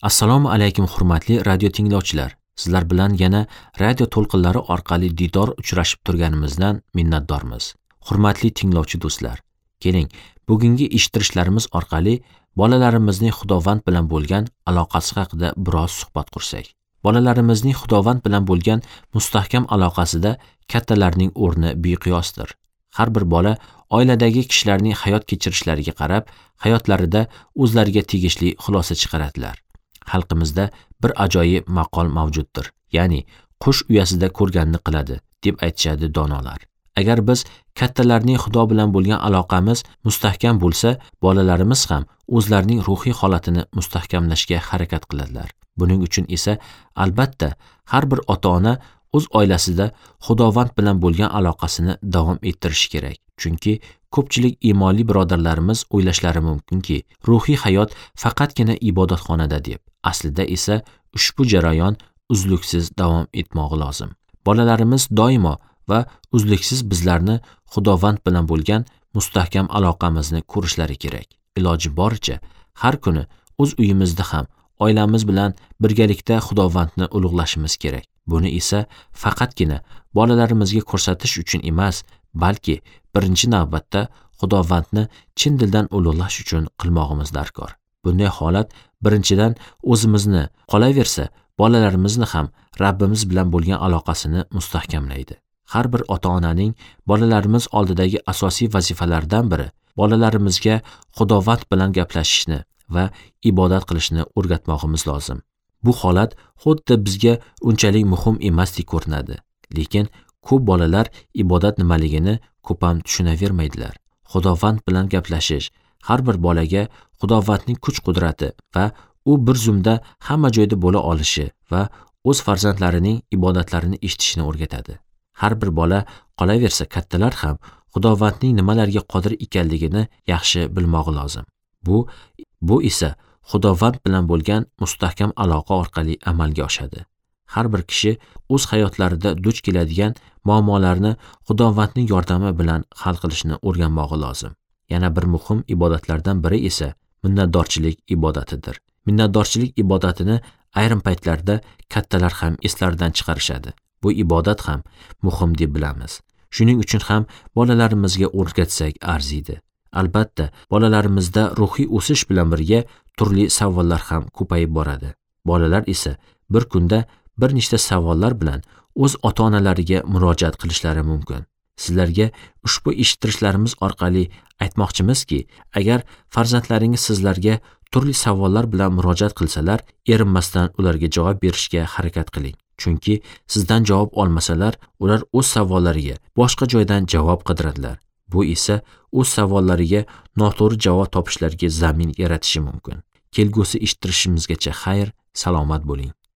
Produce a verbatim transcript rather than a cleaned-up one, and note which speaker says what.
Speaker 1: Assalomu alaykum hurmatli radio tinglovchilar. Sizlar bilan yana radio to'lqinlari orqali diydor uchrashib turganimizdan minnatdormiz. Hurmatli tinglovchi do'stlar, keling, bugungi eshittirishlarimiz orqali bolalarimizning Xudovand bilan bo'lgan aloqasi haqida biroz suhbat qursak. Bolalarimizning Xudovand bilan bo'lgan mustahkam aloqasida kattalarning o'rni beqiyosdir. Har bir bola oiladagi kishilarning hayot kechirishlariga qarab, hayotlarida o'zlariga tegishli xulosa chiqaradilar. Xalqimizda bir ajoyib maqol mavjuddir. Ya'ni qush uyasida ko'rganini qiladi, deb aytishadi donolar. Agar biz kattalarning Xudo bilan bo'lgan aloqamiz mustahkam bo'lsa, bolalarimiz ham o'zlarining ruhiy holatini mustahkamlashga harakat qiladilar. Buning uchun esa albatta har bir ota-ona o'z oilasida Xudovand bilan bo'lgan aloqasini davom ettirishi kerak. Chunki ko'pchilik iymonli birodarlarimiz o'ylashlari mumkinki, ruhiy hayot faqatgina ibodatxonada deb. Aslida esa ushbu jarayon uzluksiz davom etmog'i lozim. Bolalarimiz doimo va uzluksiz bizlarni Xudovand bilan bo'lgan mustahkam aloqamizni ko'rishlari kerak. Iloji boricha har kuni o'z uyimizda ham oilamiz bilan birgalikda Xudovandni ulug'lashimiz kerak. Buni esa faqatgina bolalarimizga ko'rsatish uchun emas, balki birinchi navbatda Xudovandni chin dildan ulug'lash uchun qilmog'imiz darkor. Bunday holat birinchidan o'zimizni, qolaversa bolalarimizni ham Rabbimiz bilan bo'lgan aloqasini mustahkamlaydi. Har bir ota-onaning bolalarimiz oldidagi asosiy vazifalardan biri bolalarimizga Xudovand bilan gaplashishni va ibodat qilishni o'rgatmog'imiz lozim. Bu holat xuddi bizga unchalik muhim emasdek ko'rinadi, lekin ko'p bolalar ibodat nimaligini ko'p ham tushunavermaydilar. Xudovand bilan gaplashish har bir bolaga Xudovandning kuch-qudrati va u bir zumda hamma joyda bo'la olishi va o'z farzandlarining ibodatlarini eshitishini o'rgatadi. Har bir bola, qolaversa kattalar ham Xudovandning nimalarga qodir ekanligini yaxshi bilmog'i lozim. Bu bu esa Xudovand bilan bo'lgan mustahkam aloqa orqali amalga oshadi. Har bir kishi o'z hayotlarida duch keladigan muammolarni Xudovandning yordami bilan hal qilishni o'rganmog'i lozim. Yana bir muhim ibodatlardan biri esa minnatdorchilik ibodatidir. Minnatdorchilik ibodatini ayrim paytlarda kattalar ham eslaridan chiqarishadi. Bu ibodat ham muhim deb bilamiz. Shuning uchun ham bolalarimizga o'rgatsak arziydi. Albatta, bolalarimizda ruhiy o'sish bilan birga turli savollar ham ko'payib boradi. Bolalar esa bir kunda bir nechta savollar bilan o'z ota-onalariga murojaat qilishlari mumkin. Sizlarga ushbu eshittirishlarimiz orqali aytmoqchimizki, agar farzandlaringiz sizlarga turli savollar bilan murojaat qilsalar, erinmasdan ularga javob berishga harakat qiling. Chunki sizdan javob olmasalar, ular o'z savollariga boshqa joydan javob qidiradilar. Bu esa o'z savollariga noto'g'ri javob topishlariga zamin yaratishi mumkin. Kelgusi eshittirishimizgacha xayr, salomat bo'ling.